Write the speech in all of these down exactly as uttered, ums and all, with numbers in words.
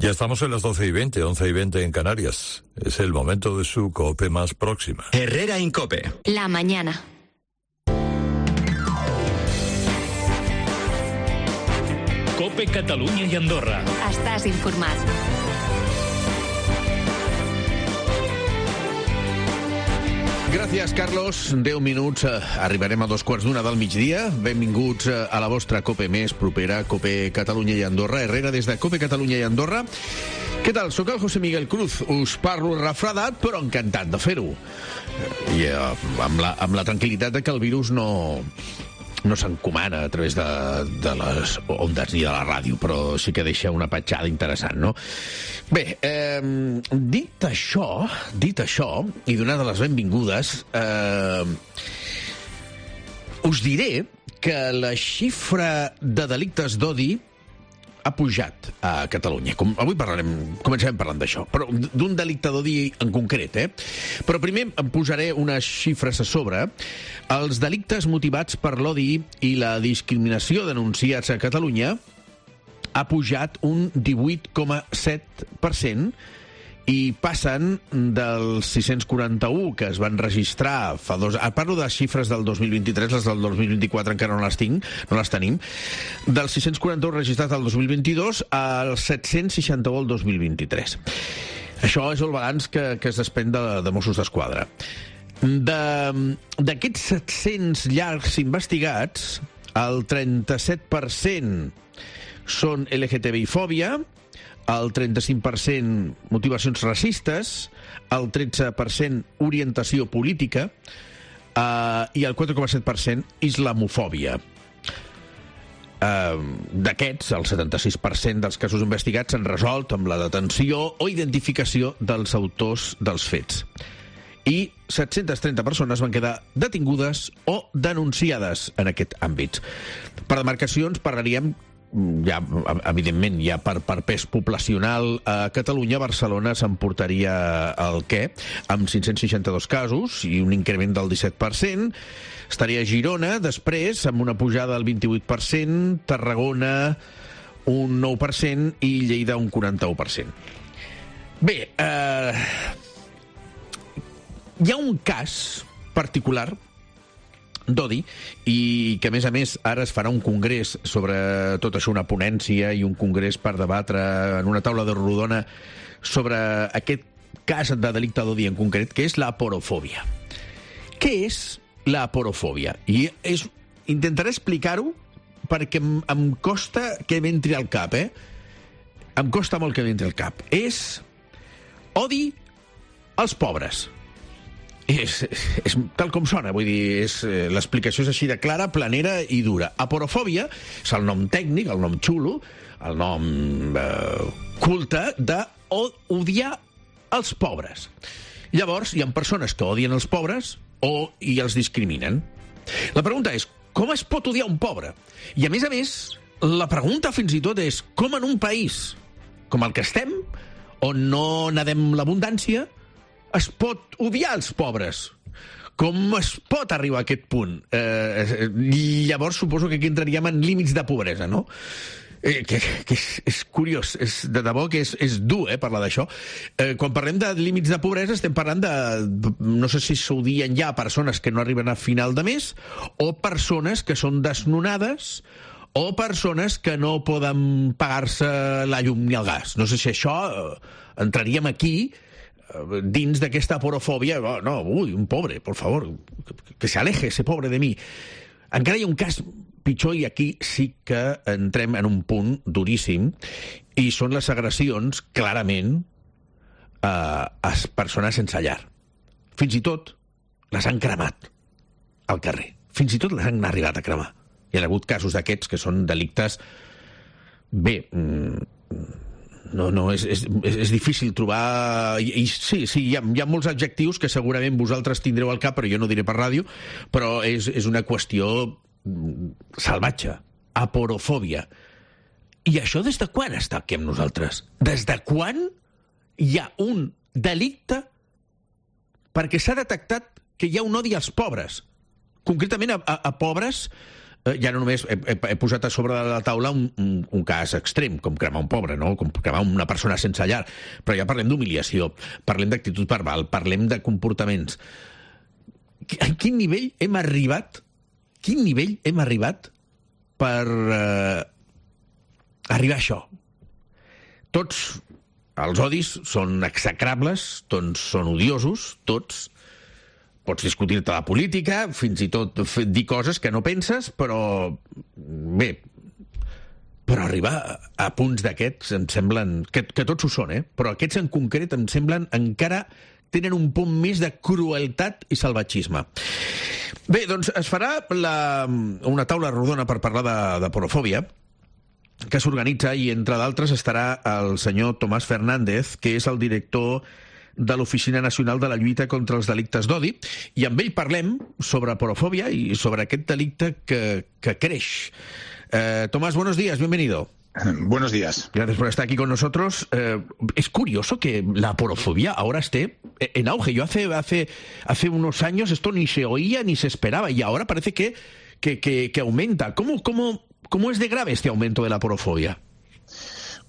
Ya estamos en las doce y veinte, once y veinte en Canarias. Es el momento de su COPE más próxima. Herrera Incope. La mañana. COPE Catalunya i Andorra. Estàs informat. Gràcies, Carlos. deu minuts. Eh, arribarem a dos quarts d'una del migdia. Benvinguts eh, a la vostra COPE més propera, COPE Catalunya i Andorra. Herrera des de COPE Catalunya i Andorra. Què tal? Soc el José Miguel Cruz. Us parlo refredat, però encantat de fer-ho. I eh, amb, la, amb la tranquil·litat de que el virus no... no s'encomana a través de, de les ondes ni de la ràdio, però sí que deixa una petjada interessant, no? Bé, eh, dit això, dit això, i donades les benvingudes, eh, us diré que la xifra de delictes d'odi ha pujat a Catalunya. Com, avui parlarem, començarem parlant d'això, però d'un delicte d'odi en concret, eh? Però primer em posaré unes xifres a sobre. Els delictes motivats per l'odi i la discriminació denunciats a Catalunya ha pujat un divuit coma set per cent i passen dels sis-cents quaranta-un que es van registrar fa dos... Parlo de xifres del dos mil vint-i-tres, les del dos mil vint-i-quatre encara no les tinc, no les tenim. Dels sis-cents quaranta-un registrats el dos mil vint-i-dos als set-cents seixanta-un el dos mil vint-i-tres. Això és el balanç que, que es desprèn de, de Mossos d'Esquadra. D'aquests set-cents llargs investigats, el trenta-set per cent són L G T B I-fòbia, el trenta-cinc per cent motivacions racistes, el tretze per cent orientació política eh, i el quatre coma set per cent islamofòbia. Eh, D'aquests, el setanta-sis per cent dels casos investigats s'han resolt amb la detenció o identificació dels autors dels fets. I set-cents trenta persones van quedar detingudes o denunciades en aquest àmbit. Per demarcacions parlaríem ja, evidentment, ja per, per pes poblacional a Catalunya, Barcelona s'emportaria el què, amb cinc-cents seixanta-dos casos i un increment del disset per cent. Estaria Girona, després, amb una pujada del vint-i-vuit per cent, Tarragona un nou per cent i Lleida un quaranta-u per cent. Bé, eh, hi ha un cas particular d'odi, i que a més a més ara es farà un congrés sobre tot això, una ponència i un congrés per debatre en una taula de rodona sobre aquest cas de delicte d'odi en concret, que és la aporofòbia. Què és la aporofòbia? I és, intentaré explicar-ho perquè em, em costa que m'entri al cap, eh? Em costa molt que m'entri al cap. És odi als pobres. És, és tal com sona, vull dir, és, l'explicació és així de clara, planera i dura. Aporofòbia és el nom tècnic, el nom xulo, el nom eh, culte d'odiar els pobres. Llavors, hi ha persones que odien els pobres o i els discriminen. La pregunta és, com es pot odiar un pobre? I a més a més, la pregunta fins i tot és, com en un país com el que estem, on no nadem l'abundància, es pot odiar els pobres? Com es pot arribar a aquest punt? Eh, llavors suposo que aquí entraríem en límits de pobresa, no? Eh, que que és, és curiós, és, de debò que és, és dur, eh, parlar d'això. Eh, quan parlem de límits de pobresa estem parlant de, no sé si s'odien ja persones que no arriben a final de mes, o persones que són desnonades, o persones que no poden pagar-se la llum ni el gas. No sé si això eh, entraríem aquí dins d'aquesta aporofòbia. Oh, no, ui, un pobre, por favor, que se aleje ese pobre de mi. Encara hi ha un cas pitjor, i aquí sí que entrem en un punt duríssim, i són les agressions, clarament, a, a persones sense llar. Fins i tot les han cremat al carrer. Fins i tot les han arribat a cremar. Hi ha hagut casos d'aquests que són delictes... Bé... Mm, No, no, és, és, és difícil trobar... I, i sí, sí, hi ha, hi ha molts adjectius que segurament vosaltres tindreu al cap, però jo no diré per ràdio, però és, és una qüestió salvatge. Aporofòbia. I això des de quan està aquí amb nosaltres? Des de quan hi ha un delicte perquè s'ha detectat que hi ha un odi als pobres? Concretament a, a, a pobres eh, ja no només he, he, he posat a sobre de la taula un, un, un cas extrem, com cremar un pobre, no? Com cremar una persona sense llar, però ja parlem d'humiliació, parlem d'actitud verbal, parlem de comportaments. A quin nivell hem arribat, quin nivell hem arribat per eh, arribar a això? Tots els odis són execrables, tots són odiosos, tots. Pots discutir-te la política, fins i tot dir coses que no penses, però bé, però arribar a punts d'aquests em semblen, que, que tots ho són, eh? Però aquests en concret em semblen encara tenen un punt més de crueltat i salvatgisme. Bé, doncs es farà la, una taula rodona per parlar de, de porofòbia, que s'organitza i, entre d'altres, estarà el senyor Tomàs Fernández, que és el director de l'Oficina Nacional de la Lluita contra els Delictes d'Odi, i amb ell parlem sobre porofòbia y sobre aquest delicte que, que creix. Eh, Tomás, buenos días, bienvenido. Buenos días. Gracias por estar aquí con nosotros. Eh, es curioso que la porofobia ahora esté en auge. Yo hace, hace, hace unos años esto ni se oía ni se esperaba, y ahora parece que, que, que, que aumenta. ¿Cómo, cómo, ¿Cómo es de grave este aumento de la porofobia?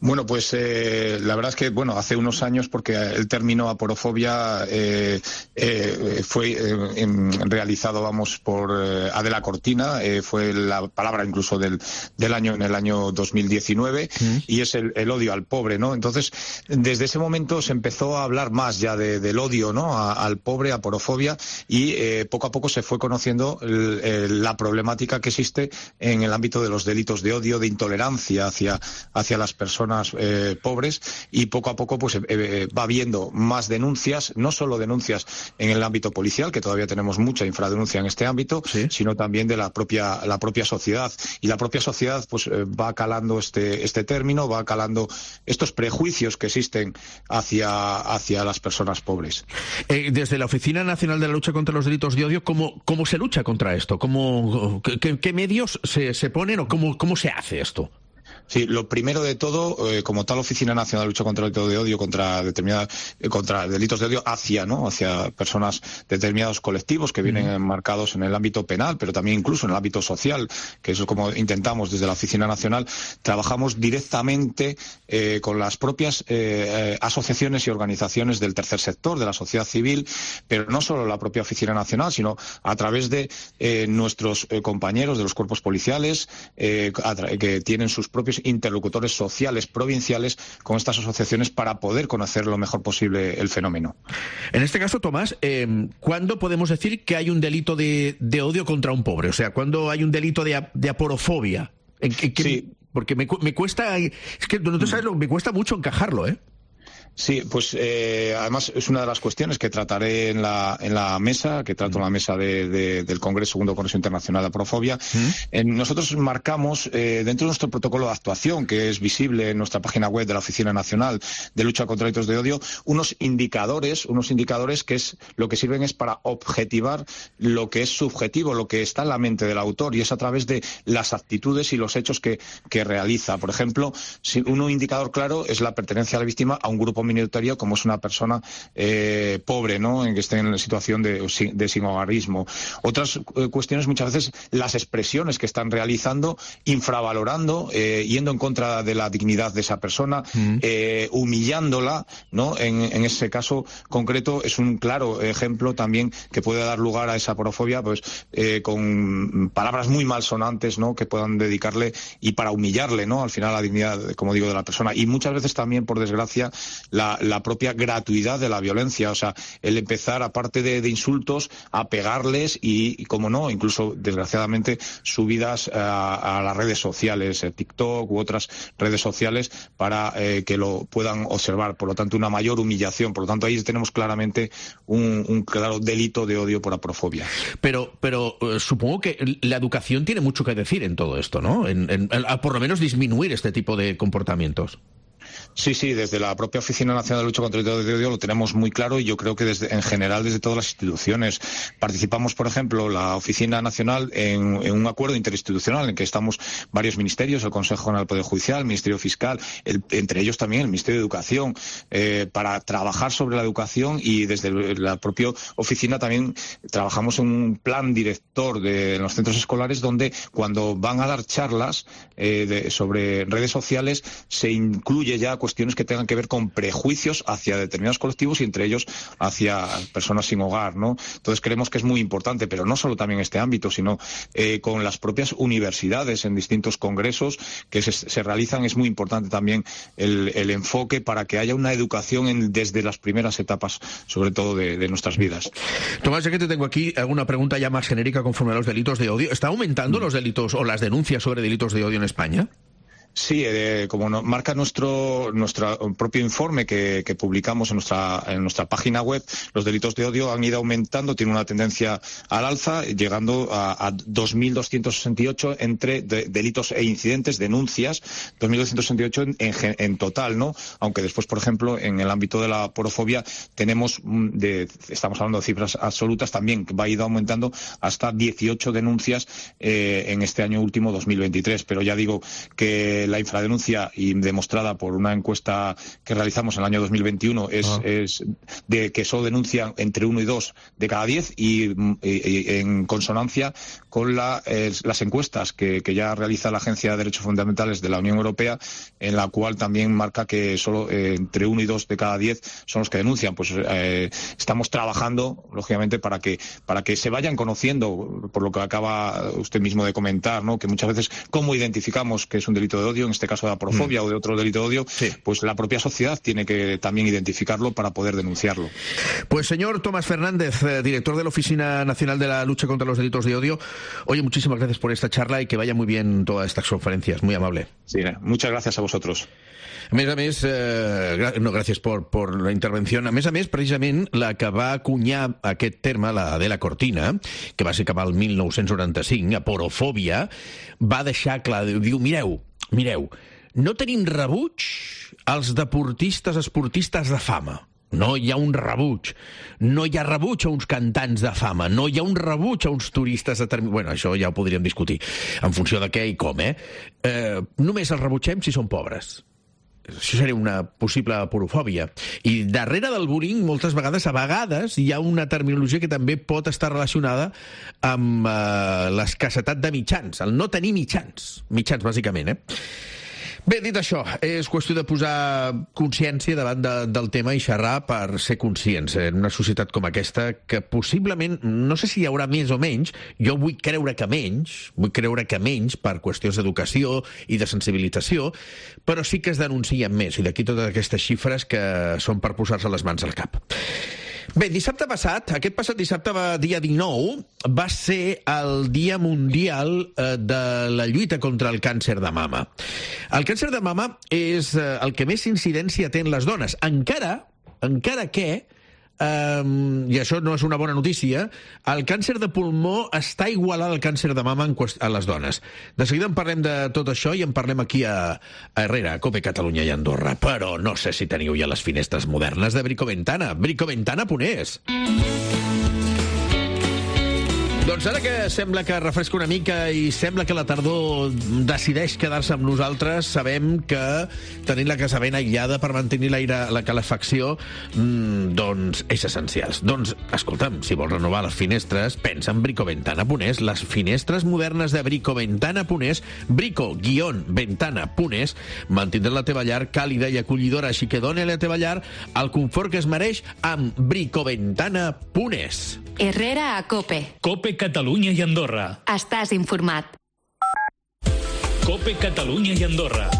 Bueno, pues eh, la verdad es que, bueno, hace unos años, porque el término aporofobia eh, eh, fue eh, realizado, vamos, por eh, Adela Cortina, eh, fue la palabra incluso del, del año, en el año dos mil diecinueve, mm. y es el, el odio al pobre, ¿no? Entonces, desde ese momento se empezó a hablar más ya de, del odio, ¿no?, a, al pobre, aporofobia, y eh, poco a poco se fue conociendo el, el, la problemática que existe en el ámbito de los delitos de odio, de intolerancia hacia, hacia las personas Eh, pobres, y poco a poco pues eh, va habiendo más denuncias, no solo denuncias en el ámbito policial, que todavía tenemos mucha infradenuncia en este ámbito, ¿sí?, sino también de la propia la propia sociedad, y la propia sociedad pues eh, va calando este este término, va calando estos prejuicios que existen hacia hacia las personas pobres. Eh, desde la Oficina Nacional de la Lucha contra los Delitos de Odio, ¿cómo, cómo se lucha contra esto? ¿Cómo, qué, qué medios se, se ponen o cómo, cómo se hace esto? Sí, lo primero de todo, eh, como tal Oficina Nacional de Lucha contra el Delito de Odio, contra determinadas, eh, contra delitos de odio hacia, ¿no?, hacia personas, determinados colectivos que vienen enmarcados en el ámbito penal, pero también incluso en el ámbito social, que eso es como intentamos desde la Oficina Nacional. Trabajamos directamente eh, con las propias eh, asociaciones y organizaciones del tercer sector, de la sociedad civil, pero no solo la propia Oficina Nacional, sino a través de eh, nuestros eh, compañeros de los cuerpos policiales, eh, que tienen sus propios interlocutores sociales provinciales con estas asociaciones para poder conocer lo mejor posible el fenómeno. En este caso, Tomás, eh, ¿cuándo podemos decir que hay un delito de, de odio contra un pobre? O sea, ¿cuándo hay un delito de, de aporofobia? ¿En, en, en, sí. Porque me, me cuesta, es que no te sabes, me cuesta mucho encajarlo, ¿eh? Sí, pues eh, además es una de las cuestiones que trataré en la en la mesa, que trato en la mesa de, de, del Congreso, segundo Congreso Internacional de Aporofobia. ¿Mm? En, nosotros marcamos eh, dentro de nuestro protocolo de actuación, que es visible en nuestra página web de la Oficina Nacional de Lucha contra Delitos de Odio, unos indicadores, unos indicadores que es lo que sirven es para objetivar lo que es subjetivo, lo que está en la mente del autor, y es a través de las actitudes y los hechos que, que realiza. Por ejemplo, si un indicador claro es la pertenencia a la víctima a un grupo minoritario, como es una persona eh, pobre, ¿no?, en que esté en situación de, de sinhogarismo. Otras eh, cuestiones, muchas veces las expresiones que están realizando, infravalorando, eh, yendo en contra de la dignidad de esa persona, mm. eh, humillándola, ¿no? En, en ese caso concreto es un claro ejemplo también que puede dar lugar a esa aporofobia, pues eh, con palabras muy malsonantes, ¿no?, que puedan dedicarle y para humillarle, ¿no?, al final la dignidad, como digo, de la persona. Y muchas veces también, por desgracia, La, la propia gratuidad de la violencia, o sea, el empezar, aparte de, de insultos, a pegarles y, y, como no, incluso, desgraciadamente, subidas a, a las redes sociales, eh, TikTok u otras redes sociales, para eh, que lo puedan observar. Por lo tanto, una mayor humillación. Por lo tanto, ahí tenemos claramente un, un claro delito de odio por aporofobia. Pero, pero eh, supongo que la educación tiene mucho que decir en todo esto, ¿no? En, en, a, por lo menos disminuir este tipo de comportamientos. Sí, sí, desde la propia Oficina Nacional de Lucha contra el Delito de Odio lo tenemos muy claro y yo creo que desde, en general desde todas las instituciones. Participamos, por ejemplo, la Oficina Nacional en, en un acuerdo interinstitucional en que estamos varios ministerios, el Consejo General del Poder Judicial, el Ministerio Fiscal, el, entre ellos también el Ministerio de Educación, eh, para trabajar sobre la educación, y desde la propia oficina también trabajamos en un plan director de en los centros escolares donde cuando van a dar charlas eh, de, sobre redes sociales se incluye ya cuestiones que tengan que ver con prejuicios hacia determinados colectivos y entre ellos hacia personas sin hogar, ¿no? Entonces creemos que es muy importante, pero no solo también en este ámbito, sino eh, con las propias universidades en distintos congresos que se, se realizan. Es muy importante también el, el enfoque para que haya una educación en, desde las primeras etapas, sobre todo de, de nuestras vidas. Tomás, ya que te tengo aquí, alguna pregunta ya más genérica conforme a los delitos de odio. ¿Está aumentando mm. los delitos o las denuncias sobre delitos de odio en España? Sí, eh, como no, marca nuestro nuestro propio informe que, que publicamos en nuestra en nuestra página web, los delitos de odio han ido aumentando, tiene una tendencia al alza, llegando a, a dos mil doscientos sesenta y ocho entre de, delitos e incidentes, denuncias, dos mil doscientos sesenta y ocho en, en, en total, ¿no? Aunque después, por ejemplo, en el ámbito de la porofobia tenemos, de, estamos hablando de cifras absolutas también, que va a ir aumentando hasta dieciocho denuncias eh, en este año último dos mil veintitrés, pero ya digo que la infradenuncia, y demostrada por una encuesta que realizamos en el año dos mil veintiuno, es, ah. es de que solo denuncian entre uno y dos de cada diez, y, y, y en consonancia con la, eh, las encuestas que, que ya realiza la Agencia de Derechos Fundamentales de la Unión Europea, en la cual también marca que solo eh, entre uno y dos de cada diez son los que denuncian. Pues eh, estamos trabajando, lógicamente, para que para que se vayan conociendo, por lo que acaba usted mismo de comentar, ¿no? Que muchas veces, ¿cómo identificamos que es un delito de odio? En este caso de aporofobia mm. o de otro delito de odio, sí. Pues la propia sociedad tiene que también identificarlo para poder denunciarlo. Pues señor Tomás Fernández, eh, director de la Oficina Nacional de la Lucha contra los Delitos de Odio, oye, muchísimas gracias por esta charla y que vaya muy bien todas estas conferencias, muy amable. Sí, muchas gracias a vosotros. A més a més, eh, gra no, gràcies per, per la intervenció. A més a més, precisament, la que va acunyar aquest terme, la Adela Cortina, que va ser cap al mil nou-cents noranta-cinc, aporofòbia, va deixar clar, diu, mireu, mireu, no tenim rebuig als deportistes esportistes de fama. No hi ha un rebuig. No hi ha rebuig a uns cantants de fama. No hi ha un rebuig a uns turistes determinats. Bueno, això ja ho podríem discutir, en funció de què i com, eh? eh només els rebutgem si són pobres. Això seria una possible aporofòbia. I darrere del bullying, moltes vegades, a vegades, hi ha una terminologia que també pot estar relacionada amb eh, l'escassetat de mitjans, el no tenir mitjans. Mitjans, bàsicament, eh? Bé, dit això, és qüestió de posar consciència davant de, del tema i xerrar per ser conscients en una societat com aquesta, que possiblement, no sé si hi haurà més o menys, jo vull creure que menys, vull creure que menys per qüestions d'educació i de sensibilització, però sí que es denuncien més, i d'aquí totes aquestes xifres que són per posar-se les mans al cap. Bé, dissabte passat, aquest passat dissabte, va, dia dinou, va ser el Dia Mundial eh, de la lluita contra el càncer de mama. El càncer de mama és eh, el que més incidència té en les dones, encara, encara que, Um, i això no és una bona notícia, el càncer de pulmó està igualat al càncer de mama en a les dones. De seguida en parlem de tot això i en parlem aquí a, a Herrera, a Cope Catalunya i Andorra. Però no sé si teniu ja les finestres modernes de Bricoventana. Bricoventana Ponés. Doncs ara que sembla que refresca una mica i sembla que la tardor decideix quedar-se amb nosaltres, sabem que tenir la casa ben aïllada per mantenir l'aire, la calefacció, mmm, doncs és essencial. Doncs, escolta'm, si vols renovar les finestres, pensa en Bricoventana Ponés. Les finestres modernes de Bricoventana Ponés, brico-ventana Ponés, mantindran la teva llar càlida i acollidora, així que dona a la teva llar el confort que es mereix amb Bricoventana Ponés. Herrera a Cope. Cope Catalunya i Andorra. Estàs informat. Cope Catalunya i Andorra.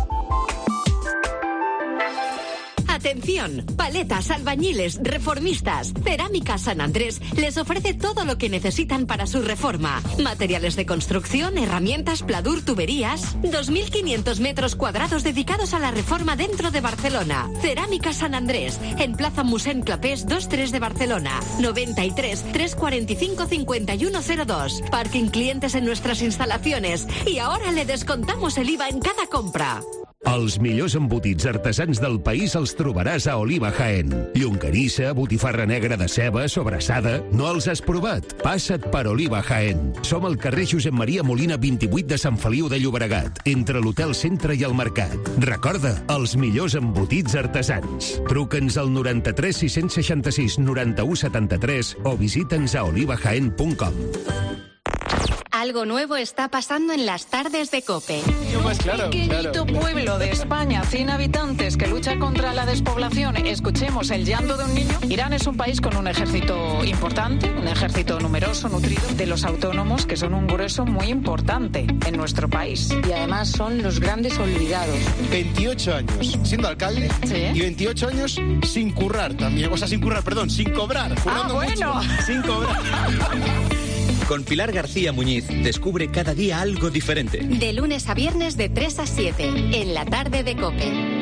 Atención, paletas, albañiles, reformistas. Cerámica San Andrés les ofrece todo lo que necesitan para su reforma. Materiales de construcción, herramientas, pladur, tuberías. dos mil quinientos metros cuadrados dedicados a la reforma dentro de Barcelona. Cerámica San Andrés, en Plaza Mossèn Clapés dos tres de Barcelona. noventa y tres, trescientos cuarenta y cinco, cincuenta y uno cero dos. Parking clientes en nuestras instalaciones. Y ahora le descontamos el I V A en cada compra. Els millors embotits artesans del país els trobaràs a Oliva Jaén. Llonganissa, botifarra negra de ceba, sobrassada... No els has provat? Passa't per Oliva Jaén. Som al carrer Josep Maria Molina vint-i-vuit de Sant Feliu de Llobregat, entre l'Hotel Centre i el Mercat. Recorda, els millors embotits artesans. Truca'ns al noranta-tres sis-cents seixanta-sis noranta-u setanta-tres o visita'ns a oliva jaén punt com. Algo nuevo está pasando en las tardes de COPE. Un pequeñito pueblo de España, cien habitantes, que lucha contra la despoblación. Escuchemos el llanto de un niño. Irán es un país con un ejército importante, un ejército numeroso, nutrido, de los autónomos, que son un grueso muy importante en nuestro país. Y además son los grandes olvidados. veintiocho años siendo alcalde, ¿sí? Y veintiocho años sin currar también. O sea, sin currar, perdón, sin cobrar. Ah, bueno. Mucho, sin cobrar. Con Pilar García Muñiz, descubre cada día algo diferente. De lunes a viernes de tres a siete, en la tarde de COPE.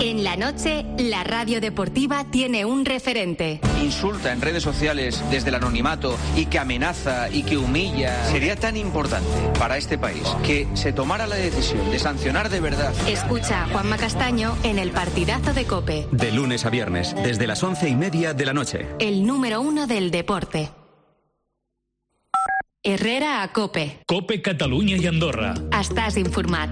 En la noche, la radio deportiva tiene un referente. Insulta en redes sociales desde el anonimato y que amenaza y que humilla. Sería tan importante para este país que se tomara la decisión de sancionar de verdad. Escucha a Juanma Castaño en el partidazo de COPE. De lunes a viernes, desde las once y media de la noche. El número uno del deporte. Herrera a COPE. COPE Catalunya i Andorra. Estàs informat.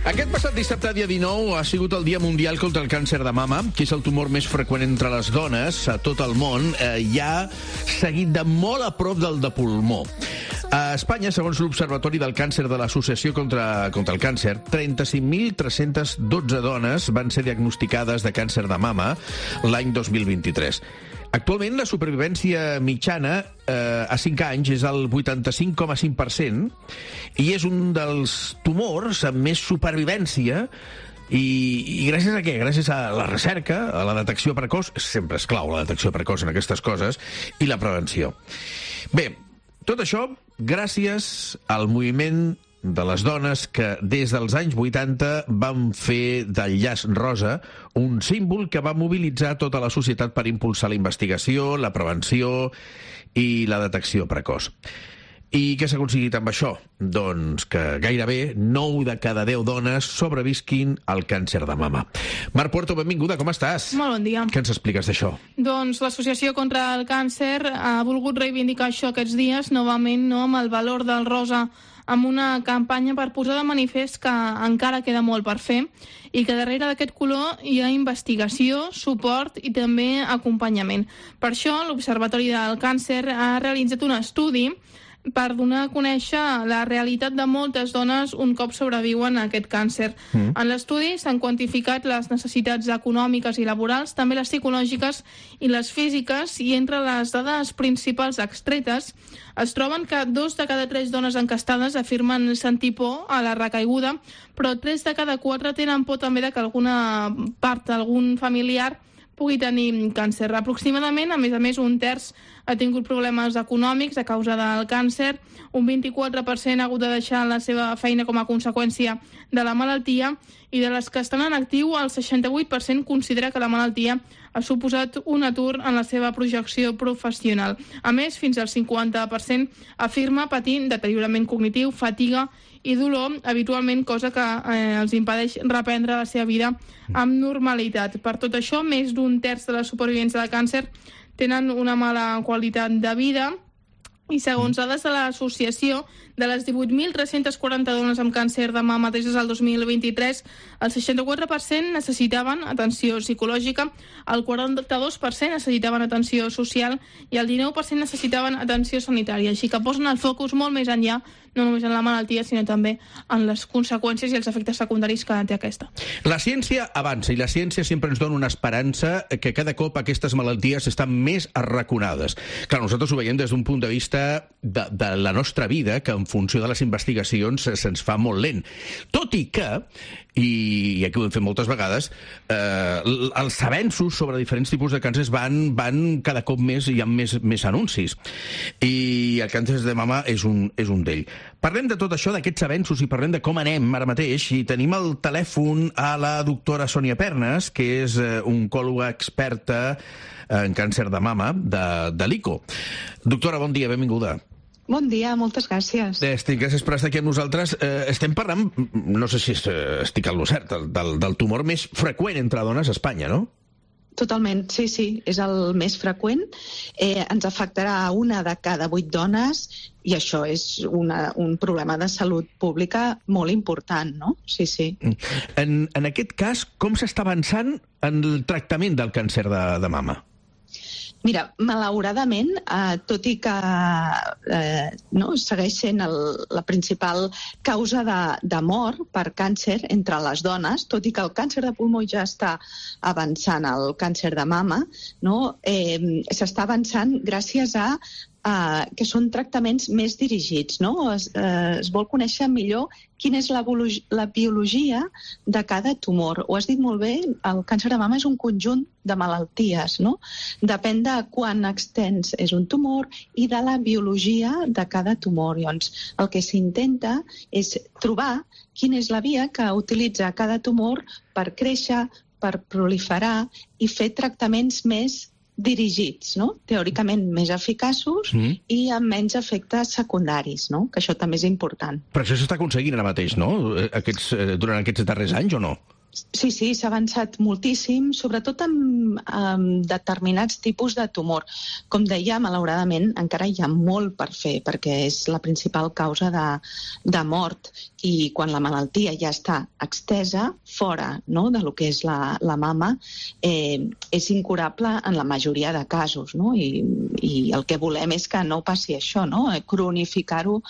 Aquest passat dissabte, dia dinou, ha sigut el Dia Mundial contra el Càncer de Mama, que és el tumor més freqüent entre les dones a tot el món, eh, ja seguit de molt a prop del de pulmó. A Espanya, segons l'Observatori del Càncer de l'Associació contra, contra el Càncer, trenta-cinc mil tres-cents dotze dones van ser diagnosticades de càncer de mama l'any dos mil vint-i-tres. Actualment, la supervivència mitjana eh, a cinc anys és el vuitanta-cinc coma cinc per cent i és un dels tumors amb més supervivència. I, I gràcies a què? Gràcies a la recerca, a la detecció precoç, sempre és clau la detecció precoç en aquestes coses, i la prevenció. Bé, tot això gràcies al moviment de les dones que des dels anys vuitanta van fer del llaç rosa un símbol que va mobilitzar tota la societat per impulsar la investigació, la prevenció i la detecció precoç. I què s'ha aconseguit amb això? Doncs que gairebé nou de cada deu dones sobrevisquin al càncer de mama. Mar Puerto, benvinguda, com estàs? Molt bon dia. Què ens expliques d'això? Doncs l'Associació contra el Càncer ha volgut reivindicar això aquests dies, novament, no, amb el valor del rosa, amb una campanya per posar de manifest que encara queda molt per fer i que darrere d'aquest color hi ha investigació, suport i també acompanyament. Per això, l'Observatori del Càncer ha realitzat un estudi per donar a conèixer la realitat de moltes dones un cop sobreviuen a aquest càncer. Mm. En l'estudi s'han quantificat les necessitats econòmiques i laborals, també les psicològiques i les físiques, i entre les dades principals extretes es troben que dos de cada tres dones encastades afirmen sentir por a la recaiguda, però tres de cada quatre tenen por també de que alguna part, algun familiar pugui tenir càncer. Aproximadament, a més a més, un terç ha tingut problemes econòmics a causa del càncer, un vint-i-quatre per cent ha hagut de deixar la seva feina com a conseqüència de la malaltia, i de les que estan en actiu, el seixanta-vuit per cent considera que la malaltia ha suposat un atur en la seva projecció professional. A més, fins al cinquanta per cent afirma patir deteriorament cognitiu, fatiga i dolor, habitualment, cosa que eh, els impedeix reprendre la seva vida amb normalitat. Per tot això, més d'un terç de les supervivents de càncer tenen una mala qualitat de vida, i segons dades de l'associació, de les divuit mil tres-cents quaranta dones amb càncer de mama des del dos mil vint-i-tres, el seixanta-quatre per cent necessitaven atenció psicològica, el quaranta-dos per cent necessitaven atenció social i el dinou per cent necessitaven atenció sanitària. Així que posen el focus molt més enllà, no només en la malaltia, sinó també en les conseqüències i els efectes secundaris que té aquesta. La ciència avança i la ciència sempre ens dona una esperança que cada cop aquestes malalties estan més arraconades. Clar, nosaltres ho veiem des d'un punt de vista de, de la nostra vida, que en funció de les investigacions se'ns fa molt lent. Tot i que i, i aquí ho hem fet moltes vegades, eh, els avenços sobre diferents tipus de càncers van, van cada cop més, hi ha més, més anuncis. I el càncer de mama és un, és un d'ell. Parlem de tot això, d'aquests avenços, i parlem de com anem ara mateix, i tenim al telèfon a la doctora Sònia Pernas, que és eh, oncòloga experta en càncer de mama de, de l'I C O. Doctora, bon dia, benvinguda. Bon dia, moltes gràcies. Estic, gràcies per estar aquí amb nosaltres. Eh, estem parlant, no sé si estic al lo cert, del, del tumor més freqüent entre dones a Espanya, no? Totalment, sí, sí, és el més freqüent. Eh, ens afectarà a una de cada vuit dones i això és una, un problema de salut pública molt important, no? Sí, sí. En, en aquest cas, com s'està avançant en el tractament del càncer de, de mama? Mira, malauradament, eh, tot i que eh, no, segueix sent el, la principal causa de, de mort per càncer entre les dones, tot i que el càncer de pulmó ja està avançant al càncer de mama, no, eh, s'està avançant gràcies a Uh, que són tractaments més dirigits, no? Es, uh, es vol conèixer millor quina és la, la biologia de cada tumor. Ho has dit molt bé, el càncer de mama és un conjunt de malalties, no? Depèn de quan extens és un tumor i de la biologia de cada tumor. Llavors, el que s'intenta és trobar quina és la via que utilitza cada tumor per créixer, per proliferar i fer tractaments més dirigits, no? Teòricament més eficaços mm. i amb menys efectes secundaris, no? Que això també és important. Però això s'està aconseguint ara mateix, no? Aquests, durant aquests darrers anys o no? Sí, sí, s'ha avançat moltíssim, sobretot amb, amb determinats tipus de tumor. Com deia, malauradament, encara hi ha molt per fer, perquè és la principal causa de, de mort. I quan la malaltia ja està extesa, fora, no?, de lo que és la, la mama, eh, és incurable en la majoria de casos, no? I, i el que volem és que no passi això, no?, cronificar-ho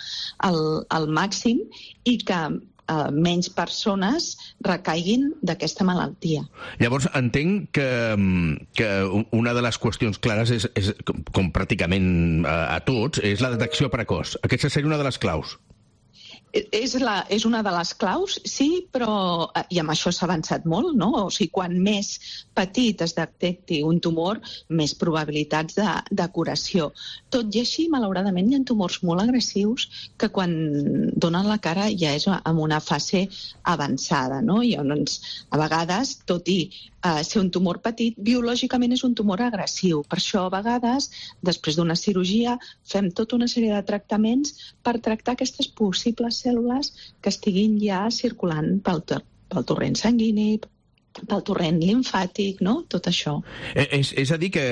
al, al màxim i que Uh, menys persones recaiguin d'aquesta malaltia. Llavors, entenc que, que una de les qüestions clares és, és com, com pràcticament a, a tots, és la detecció precoç. Aquesta seria una de les claus. És, la, és una de les claus, sí, però, i amb això s'ha avançat molt, no? O sigui, quan més petit es detecti un tumor, més probabilitats de, de curació. Tot i així, malauradament, hi ha tumors molt agressius que quan donen la cara ja és en una fase avançada, no? I llavors, a vegades, tot i Uh, ser un tumor petit, biològicament és un tumor agressiu. Per això, a vegades, després d'una cirurgia, fem tota una sèrie de tractaments per tractar aquestes possibles cèl·lules que estiguin ja circulant pel, pel torrent sanguini, pel torrent limfàtic, no? Tot això. És, és a dir, que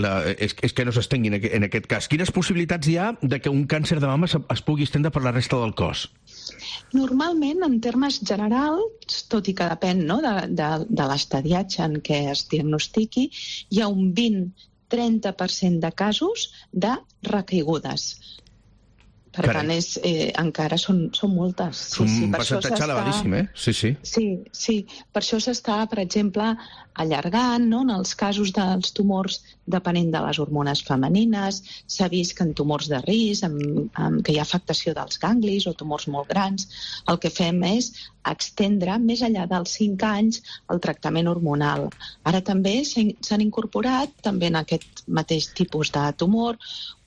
la, és, és que no s'estengui en, en aquest cas. Quines possibilitats hi ha de que un càncer de mama es pugui estendre per la resta del cos? Normalment, en termes generals, tot i que depèn, no?, de, de, de l'estadiatge en què es diagnostiqui, hi ha un vint a trenta per cent de casos de recaigudes. Per Carai. tant, és, eh, encara són, són moltes. Sí, un sí, percentatge elevadíssim, eh? Sí, sí. Sí, sí. Per això s'està, per exemple, allargant, no?, en els casos dels tumors depenent de les hormones femenines. S'ha vist que en tumors de risc, amb, amb, que hi ha afectació dels ganglis o tumors molt grans, el que fem és extendre més enllà dels cinc anys el tractament hormonal. Ara també s'han incorporat, també en aquest mateix tipus de tumor,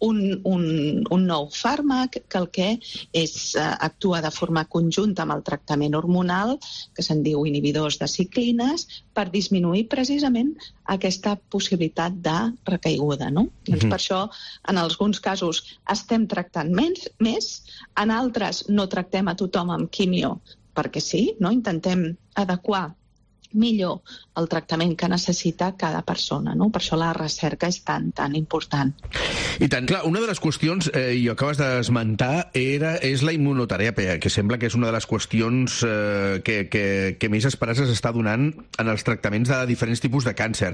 un, un, un nou fàrmac que el que és, eh, actua de forma conjunta amb el tractament hormonal, que se'n diu inhibidors de ciclines, per disminuir precisament aquesta possibilitat de recaiguda, no? Mm-hmm. Doncs per això, en alguns casos, estem tractant més, més, en altres no tractem a tothom amb quimio, perquè sí, no? Intentem adequar millor el tractament que necessita cada persona, no? Per això la recerca és tan, tan important. I tant, clar, una de les qüestions, eh, i ho acabes d'esmentar, era, és la immunoteràpia, que sembla que és una de les qüestions eh, que, que, que més esperança s'està donant en els tractaments de diferents tipus de càncer.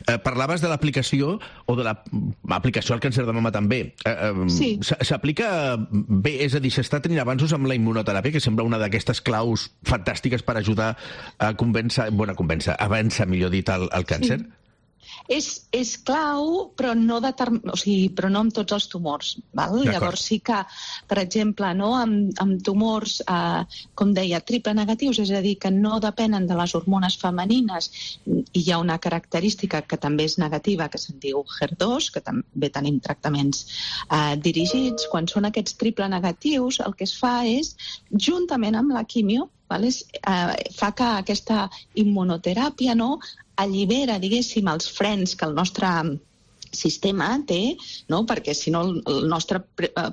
Eh, parlaves de l'aplicació, o de l'aplicació al càncer de mama també. Eh, eh, sí. S'aplica bé, és a dir, s'està tenint avanços amb la immunoteràpia, que sembla una d'aquestes claus fantàstiques per ajudar a convèncer, bueno, a convèncer, avança, millor dit, el, el càncer? Sí. És, és clau, però no, determ... o sigui, però no amb tots els tumors. Val? Llavors sí que, per exemple, no, amb, amb tumors, eh, com deia, triple negatius, és a dir, que no depenen de les hormones femenines, i hi ha una característica que també és negativa, que se'n diu H E R dos, que també tenim tractaments eh, dirigits. Quan són aquests triple negatius, el que es fa és, juntament amb la quimio, val? És, eh, fa que aquesta immunoteràpia, no, allibera, diguéssim, els frens que el nostre sistema té, no? Perquè si no el nostre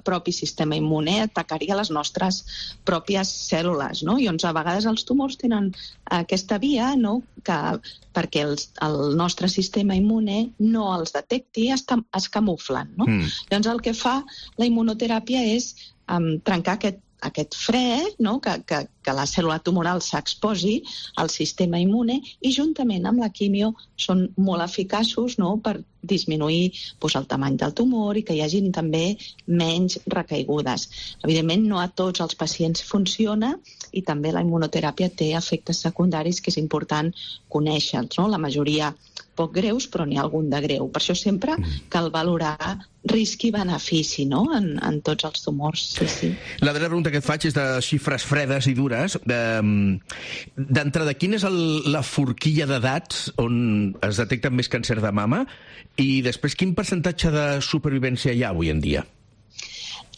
propi sistema immune atacaria les nostres pròpies cèl·lules, no? I doncs a vegades els tumors tenen aquesta via, no? Que perquè els, el nostre sistema immune no els detecti, es, es camuflen, no? Mm. Llavors el que fa la immunoteràpia és um, trencar aquest aquest fre, no? que, que, que la cèl·lula tumoral s'exposi al sistema immune, i juntament amb la quimio són molt eficaços, no? Per disminuir doncs, el tamany del tumor i que hi hagin també menys recaigudes. Evidentment, no a tots els pacients funciona, i també la immunoteràpia té efectes secundaris que és important conèixer-los, no? La majoria poc greus, però n'hi ha algun de greu. Per això sempre cal valorar risc i benefici, no? en, en tots els tumors. Sí, sí. La darrera pregunta que et faig és de xifres fredes i dures. D'entrada, quina és el, la forquilla d'edats on es detecta més càncer de mama? I després, quin percentatge de supervivència hi ha avui en dia?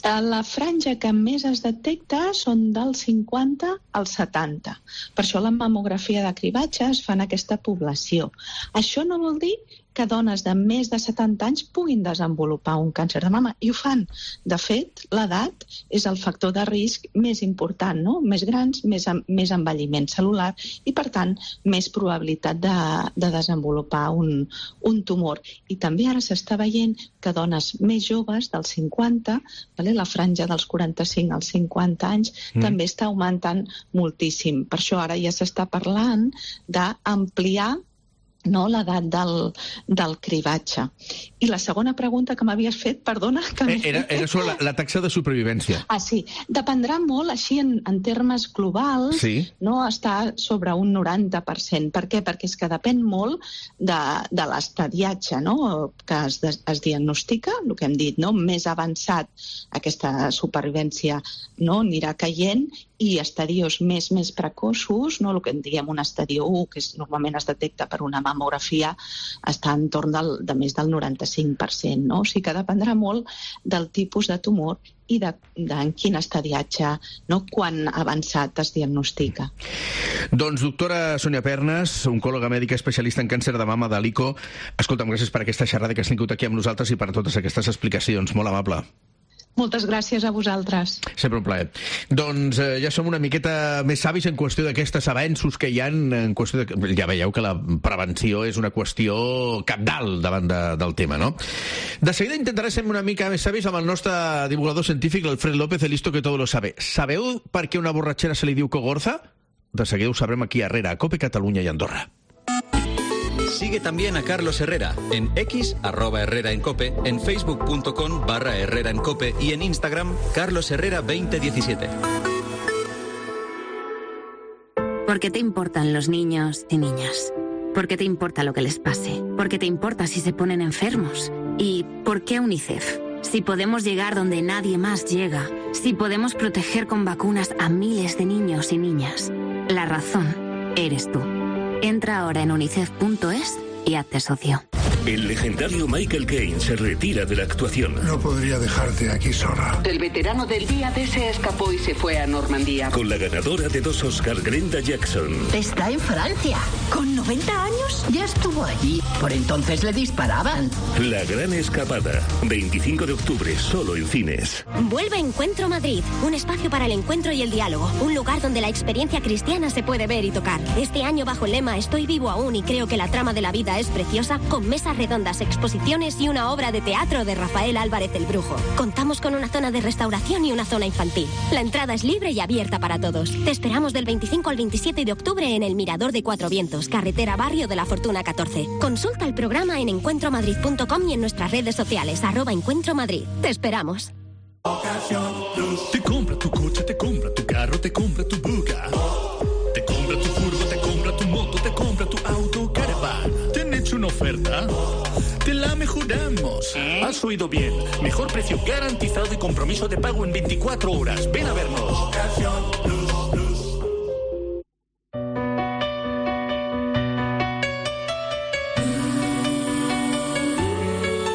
La franja que més es detecta són del cinquanta al setanta. Per això la mamografia de cribatge es fa en aquesta població. Això no vol dir que dones de més de setanta anys puguin desenvolupar un càncer de mama, i ho fan. De fet, l'edat és el factor de risc més important, no? Més grans, més, més envelliment cel·lular i, per tant, més probabilitat de, de desenvolupar un, un tumor. I també ara s'està veient que dones més joves, dels cinquanta, vale? La franja dels quaranta-cinc als cinquanta anys, mm. també està augmentant moltíssim. Per això ara ja s'està parlant d'ampliar, no, l'edat del, del cribatge. I la segona pregunta que m'havies fet, perdona... Que era, era sobre la, la taxa de supervivència. Ah, sí. Dependrà molt, així en, en termes globals, sí. No, està sobre un noranta per cent. Per què? Perquè és que depèn molt de, de l'estadiatge, no?, que es, es diagnostica, el que hem dit, no?, més avançat aquesta supervivència, no?, anirà caient, i estadios més més precoços, no, el que en diem un estadio u, que és, normalment es detecta per una mamografia, està entorn del, de més del noranta-cinc per cent. No? O sigui que dependrà molt del tipus de tumor i de, de en quin estadiatge, no, quan avançat es diagnostica. Doncs doctora Sònia Pernas, oncòloga mèdica especialista en càncer de mama de l'I C O, escolta'm, gràcies per aquesta xerrada que has tingut aquí amb nosaltres i per totes aquestes explicacions. Molt amable. Moltes gràcies a vosaltres. Sempre un plaer. Doncs eh, ja som una miqueta més savis en qüestió d'aquestos avenços que hi ha en qüestió de... Ja veieu que la prevenció és una qüestió cabdal davant de, del tema, no? De seguida intentaré ser una mica més savis amb el nostre divulgador científic, l'Alfred López, el listo que todo lo sabe. Sabeu per què una borratxera se li diu cogorza? De seguida ho sabrem aquí a Herrera, a COPE Catalunya i Andorra. Sigue también a Carlos Herrera en X, arroba Herrera en Cope, en facebook.com barra Herrera en Cope y en Instagram, Carlos Herrera veinte diecisiete. ¿Por qué te importan los niños y niñas? ¿Por qué te importa lo que les pase? ¿Por qué te importa si se ponen enfermos? ¿Y por qué UNICEF? Si podemos llegar donde nadie más llega, si podemos proteger con vacunas a miles de niños y niñas, la razón eres tú. Entra ahora en unicef punto es y hazte socio. El legendario Michael Caine se retira de la actuación. No podría dejarte aquí sola. El veterano del día D se escapó y se fue a Normandía. Con la ganadora de dos Oscar, Glenda Jackson. Está en Francia. ¿Con noventa años? Ya estuvo allí. Por entonces le disparaban. La gran escapada. veinticinco de octubre, solo en cines. Vuelve Encuentro Madrid. Un espacio para el encuentro y el diálogo. Un lugar donde la experiencia cristiana se puede ver y tocar. Este año bajo el lema Estoy vivo aún y creo que la trama de la vida es preciosa, con mesas redondas, exposiciones y una obra de teatro de Rafael Álvarez el Brujo. Contamos con una zona de restauración y una zona infantil. La entrada es libre y abierta para todos. Te esperamos del veinticinco al veintisiete de octubre en el Mirador de Cuatro Vientos, carretera Barrio de la Fortuna catorce. Consulta el programa en encuentro madrid punto com y en nuestras redes sociales, arroba Encuentro Madrid. Te esperamos. Te compra tu coche, te compra tu carro, te compra tu buga. Te compra tu furgo, te compra tu moto, te compra tu auto caravan. Te han hecho una oferta? ¡Te la mejoramos! ¿Eh? Has oído bien. Mejor precio garantizado y compromiso de pago en veinticuatro horas. Ven a vernos.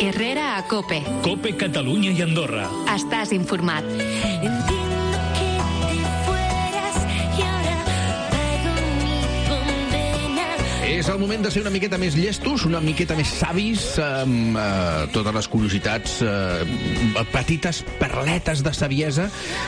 Herrera a Cope. Cope Catalunya i Andorra. Estàs informat. És el moment de ser una miqueta més llestos, una miqueta més savis, amb eh, totes les curiositats, eh, petites perletes de saviesa,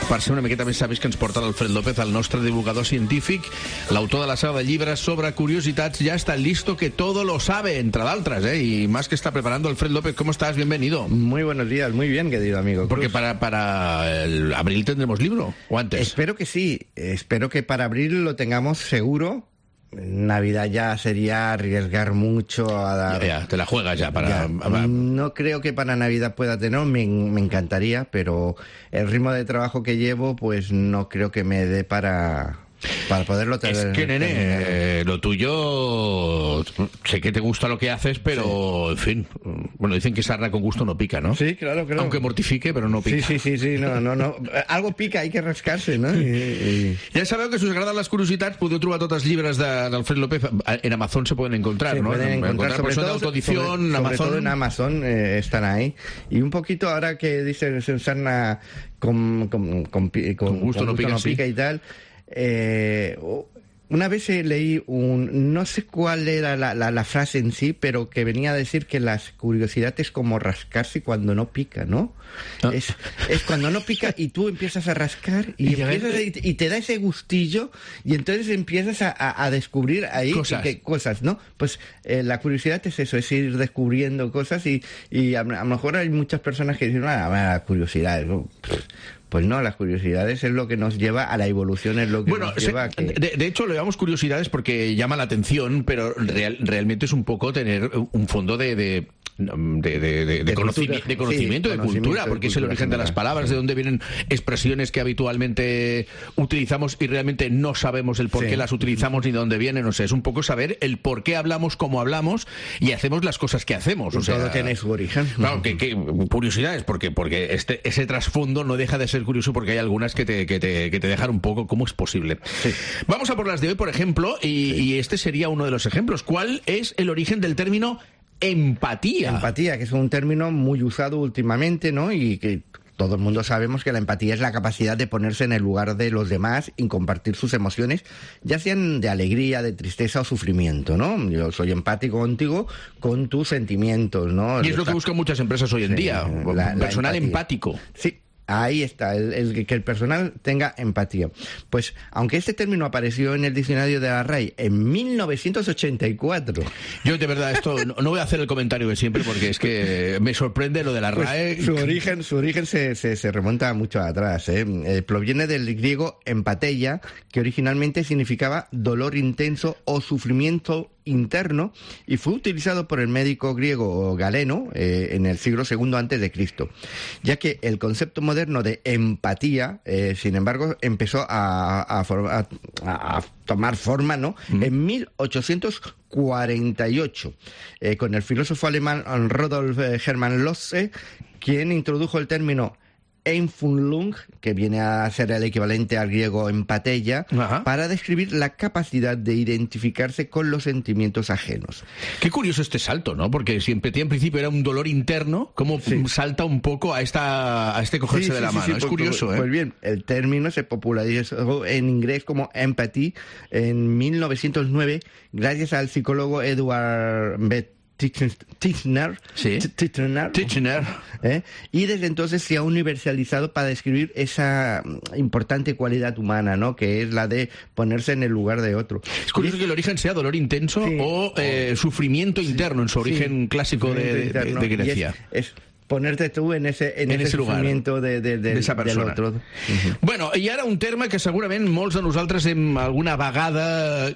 per ser una miqueta més savis que ens porta l'Alfred López, el nostre divulgador científic, l'autor de la saga de llibres sobre curiositats. Ya está listo, que todo lo sabe, entre d'altres, ¿eh? Y más que está preparando Alfred López. ¿Cómo estás? Bienvenido. Muy buenos días, muy bien, querido amigo Cruz. Porque para, para el abril tendremos libro, ¿o antes? Espero que sí, espero que para abril lo tengamos seguro. Navidad ya sería arriesgar mucho a dar... Ya, ya, te la juegas ya para... Ya. No creo que para Navidad pueda tener, me, me encantaría, pero el ritmo de trabajo que llevo, pues no creo que me dé para... Para poderlo tener. Es que, nene, eh, lo tuyo, sé que te gusta lo que haces, pero, sí. En fin, bueno, dicen que sarna con gusto no pica, ¿no? Sí, claro, claro. Aunque mortifique, pero no pica. Sí, sí, sí, sí, no, no, no. Algo pica, hay que rascarse, no? I, i... Ja sabeu que si us agraden les curiositats podeu trobar tots els llibres d'Alfred López. En Amazon se pueden encontrar, se ¿no? Pueden encontrar, sobre todo, autoedición, sobre, Amazon. sobre todo en Amazon eh, están ahí. Y un poquito ahora que dice sarna con, con, con, con, con gusto, con no, gusto pica, no pica sí. Y tal... Eh, una vez leí un, no sé cuál era la, la, la frase en sí, pero que venía a decir que las curiosidades es como rascarse cuando no pica, ¿no? Ah. Es, es cuando no pica y tú empiezas a rascar y, y, empiezas a, y te da ese gustillo y entonces empiezas a, a, a descubrir ahí cosas, que, cosas ¿no? Pues eh, la curiosidad es eso, es ir descubriendo cosas y, y a, a lo mejor hay muchas personas que dicen, ah, la curiosidad, ¿no? Pues no, las curiosidades es lo que nos lleva a la evolución, es lo que bueno, nos lleva a que... de, de hecho, le llamamos curiosidades porque llama la atención, pero real, realmente es un poco tener un fondo de... de... De, de, de, de, conocimiento, de conocimiento, sí, de conocimiento, cultura, porque de cultura, es el origen general. De las palabras, de dónde vienen expresiones que habitualmente utilizamos y realmente no sabemos el por qué sí. las utilizamos ni de dónde vienen. O sea, es un poco saber el por qué hablamos, cómo hablamos y hacemos las cosas que hacemos. O sea, todo tiene su origen. Claro, que, que curiosidades, porque, porque este, ese trasfondo no deja de ser curioso, porque hay algunas que te, que te, que te dejan un poco, ¿cómo es posible? Sí. Vamos a por las de hoy, por ejemplo, y, sí. y este sería uno de los ejemplos. ¿Cuál es el origen del término empatía? Empatía, que es un término muy usado últimamente, ¿no? Y que todo el mundo sabemos que la empatía es la capacidad de ponerse en el lugar de los demás y compartir sus emociones, ya sean de alegría, de tristeza o sufrimiento, ¿no? Yo soy empático contigo con tus sentimientos, ¿no? Y es lo que buscan muchas empresas hoy en sí, día, la, personal la empático. Sí. Ahí está, el, el, que el personal tenga empatía. Pues, aunque este término apareció en el diccionario de la R A E en mil novecientos ochenta y cuatro. Yo, de verdad, esto no, no voy a hacer el comentario de siempre porque es que me sorprende lo de la R A E. Pues su origen, su origen se, se, se remonta mucho atrás, ¿eh? Eh, proviene del griego empateia, que originalmente significaba dolor intenso o sufrimiento interno, y fue utilizado por el médico griego Galeno eh, en el siglo segundo antes de Cristo, ya que el concepto moderno de empatía, eh, sin embargo, empezó a, a, a, a tomar forma, ¿no? Mm. En mil ochocientos cuarenta y ocho, eh, con el filósofo alemán Rudolf Hermann Losse, quien introdujo el término Empfindung, que viene a ser el equivalente al griego empateia, Ajá. para describir la capacidad de identificarse con los sentimientos ajenos. Qué curioso este salto, ¿no? Porque si empatía en principio era un dolor interno, ¿cómo sí. salta un poco a esta a este cogerse sí, de la sí, mano? Sí, es pues, curioso, pues, ¿eh? Pues bien, el término se popularizó en inglés como empathy en mil novecientos nueve gracias al psicólogo Edward Beth Titchener, sí. Titchener, Titchener. ¿Eh? Y desde entonces se ha universalizado para describir esa importante cualidad humana, ¿no? Que es la de ponerse en el lugar de otro. Es curioso es... que el origen sea dolor intenso sí. o eh, sufrimiento sí. interno en su origen sí. clásico de, de, de Grecia. Es, es ponerte tú en ese, en en ese, ese sufrimiento de, de, de, de esa persona. Del otro. Uh-huh. Bueno, i ara un terme que segurament molts de nosaltres hem alguna vegada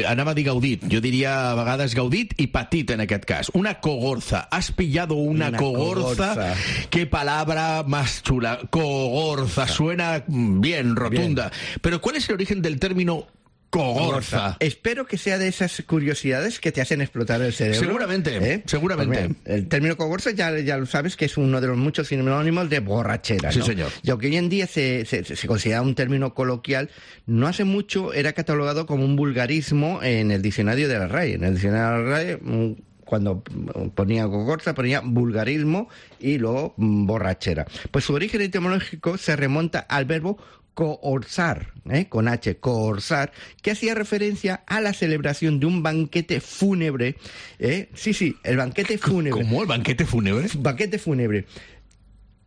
anava a dir gaudit, jo diria a vegades gaudit i patit en aquest cas. Una cogorza. ¿Has pillado una, una cogorza? cogorza? Qué palabra más chula. Cogorza. Suena bien, rotunda. Bien. Pero ¿cuál es el origen del término Cogorza. Espero que sea de esas curiosidades que te hacen explotar el cerebro. Seguramente, ¿eh? seguramente. Pues mira, el término cogorza ya, ya lo sabes que es uno de los muchos sinónimos de borrachera, ¿no? Sí, señor. Y aunque hoy en día se, se, se considera un término coloquial, no hace mucho era catalogado como un vulgarismo en el diccionario de la R A E. En el diccionario de la R A E, cuando ponía cogorza, ponía vulgarismo y luego borrachera. Pues su origen etimológico se remonta al verbo cohorzar, ¿eh? con H, cohorzar, que hacía referencia a la celebración de un banquete fúnebre. ¿eh? Sí, sí, el banquete fúnebre. ¿Cómo? ¿El banquete fúnebre? Banquete fúnebre.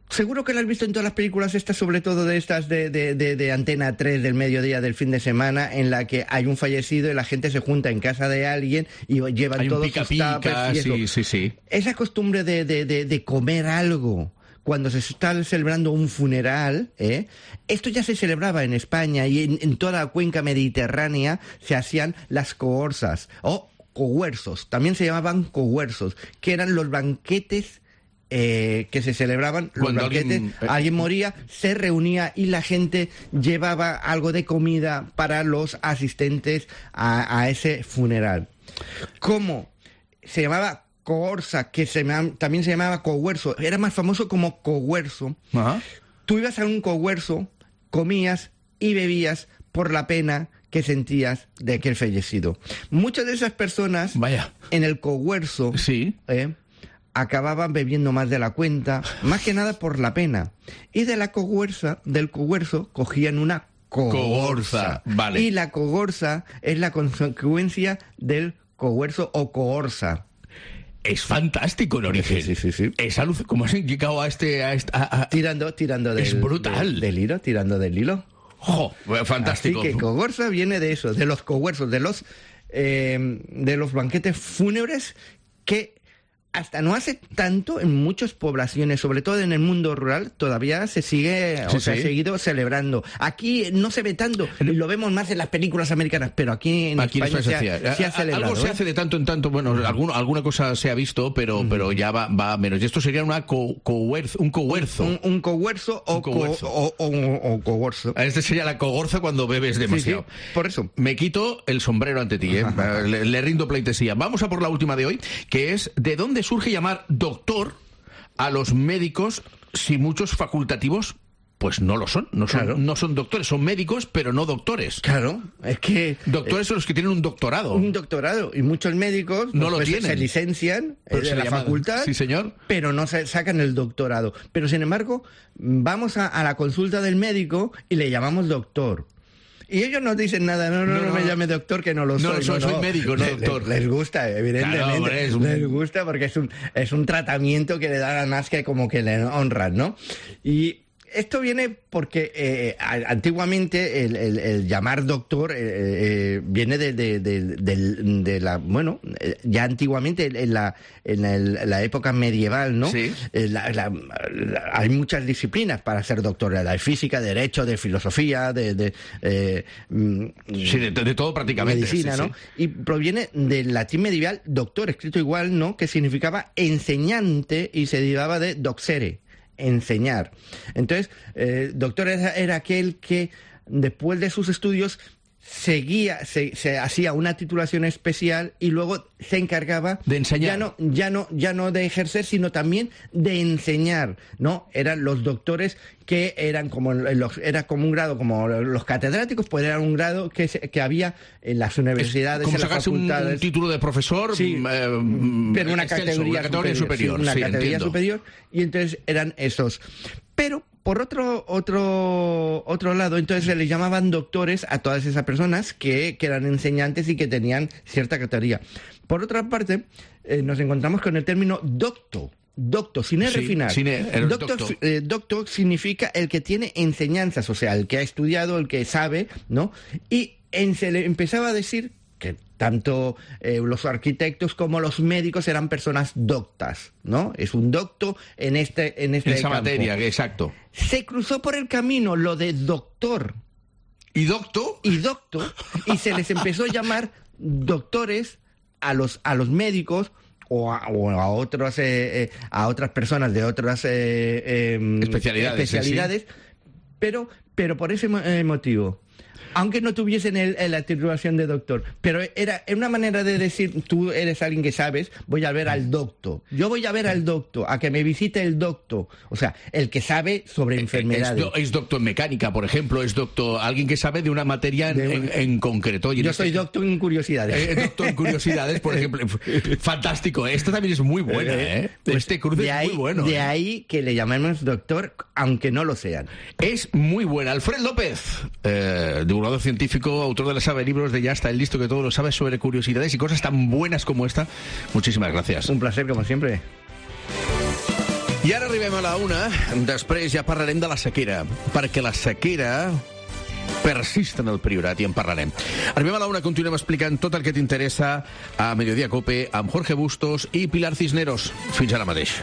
Seguro que lo has visto en todas las películas estas, sobre todo de estas de, de, de, de Antena tres del mediodía del fin de semana, en la que hay un fallecido y la gente se junta en casa de alguien y llevan hay todos un pica, sus tuppers y eso. Sí, sí, sí. Esa costumbre de, de, de, de comer algo cuando se está celebrando un funeral, ¿eh? Esto ya se celebraba en España y en, en toda la cuenca mediterránea se hacían las cohorzas o cohuerzos, también se llamaban cohuerzos, que eran los banquetes eh, que se celebraban, los Cuando banquetes, alguien, eh, alguien moría, se reunía y la gente llevaba algo de comida para los asistentes a, a ese funeral. ¿Cómo? Se llamaba cohorza, que se, también se llamaba cohuerzo, era más famoso como cohuerzo. Ajá. Tú ibas a un cohuerzo, comías y bebías por la pena que sentías de aquel fallecido. Muchas de esas personas Vaya. en el cohuerzo sí. eh, acababan bebiendo más de la cuenta, más que nada por la pena. Y de la cohuerza, del cohuerzo, cogían una cogorza. Cogorza, vale. Y la cogorza es la consecuencia del cohuerzo o cohorza. Es fantástico el origen. Sí, sí, sí. Es aluc- ¿Cómo has indicado a este...? A este a, a... Tirando, tirando del, es brutal. Del, del hilo, tirando del hilo. ¡Jo! Fantástico. Así que cogorza viene de eso, de los cohuerzos, de los, eh, de los banquetes fúnebres que hasta no hace tanto en muchas poblaciones, sobre todo en el mundo rural, todavía se sigue, sí, o se sí. ha seguido celebrando. Aquí no se ve tanto, lo vemos más en las películas americanas, pero aquí en Aquí España en se, España ha, se ha celebrado. Algo se ¿eh? hace de tanto en tanto, bueno, alguno, alguna cosa se ha visto, pero, uh-huh. pero ya va, va menos. Y esto sería una co, cohuerzo, un cohuerzo. Un, un cohuerzo o, un cohuerzo. Co, o, o, o cogorzo. Este sería la cogorza cuando bebes demasiado. Sí, sí, por eso. Me quito el sombrero ante ti, ¿eh? le, le rindo pleitesía. Vamos a por la última de hoy, que es ¿de dónde surge llamar doctor a los médicos si muchos facultativos pues no lo son, no son, claro. no son doctores, son médicos, pero no doctores. Claro, es que... Doctores eh, son los que tienen un doctorado. Un doctorado, y muchos médicos no lo pues, tienen. Se licencian eh, de la llaman. facultad, sí, señor. pero no se sacan el doctorado. Pero sin embargo, vamos a, a la consulta del médico y le llamamos doctor. Y ellos no dicen nada, no, no, no, no me llame doctor, que no lo soy. No, soy, no, soy médico, no les, doctor. Les, les gusta, evidentemente. Claro, hombre, es un... Les gusta porque es un, es un tratamiento que le dan más que como que le honran, ¿no? Y esto viene porque eh, antiguamente el, el, el llamar doctor eh, eh, viene de, de, de, de, de la... Bueno, ya antiguamente en la, en el, la época medieval, ¿no? Sí. La, la, la, hay muchas disciplinas para ser doctor. La de física, de derecho, de filosofía, de... de eh, sí, de, de todo prácticamente. Medicina, sí, ¿no? Sí. Y proviene del latín medieval doctor, escrito igual, ¿no? Que significaba enseñante y se derivaba de doxere, enseñar. Entonces, eh, doctor era, era aquel que después de sus estudios seguía, se, se hacía una titulación especial y luego se encargaba de enseñar. Ya no, ya no, ya no de ejercer, sino también de enseñar, ¿no? Eran los doctores que eran como los, era como un grado como los catedráticos, pues era un grado que, se, que había en las universidades, como en las facultades. Un, un título de profesor, sí, eh, pero una extenso, categoría, una categoría superior, superior sí, una sí, categoría entiendo. superior, y entonces eran esos. Pero por otro otro otro lado, entonces se les llamaban doctores a todas esas personas que, que eran enseñantes y que tenían cierta categoría. Por otra parte, eh, nos encontramos con el término docto. Docto, sin R sí, final. Sin R, docto, docto. Eh, docto significa el que tiene enseñanzas, o sea, el que ha estudiado, el que sabe, ¿no? Y en, se le empezaba a decir que tanto eh, los arquitectos como los médicos eran personas doctas, ¿no? Es un docto en este en este en esa campo. materia, exacto. Se cruzó por el camino lo de doctor. ¿Y docto? Y docto, y se les empezó a llamar doctores a los a los médicos o a, o a otros eh, eh, a otras personas de otras eh, eh, especialidades, especialidades sí. pero pero por ese eh, motivo. aunque no tuviesen el, el, la titulación de doctor. Pero era una manera de decir, tú eres alguien que sabes, voy a ver al doctor. Yo voy a ver al doctor, a que me visite el doctor. O sea, el que sabe sobre enfermedades. Es, do, es doctor en mecánica, por ejemplo, es doctor, alguien que sabe de una materia en, de, en, en concreto. Y yo en soy este, doctor en curiosidades. Eh, doctor en curiosidades, por ejemplo. Fantástico. Esta también es muy buena, ¿eh? Pues este cruce es ahí, muy bueno. De ¿eh? ahí que le llamemos doctor, aunque no lo sean. Es muy buena. Alfred López, eh, divulgador científico, autor de la saga de libros de Ya está el listo que todo lo sabe sobre curiosidades y cosas tan buenas como esta. Muchísimas gracias. Un placer, como siempre. I ara arribem a la una. Després ja parlarem de la sequera, perquè la sequera persiste en el Priorat i en parlarem. Arribem a la una, continuem explicant tot el que t'interessa a Mediodía Cope amb Jorge Bustos i Pilar Cisneros. Fins ara mateix.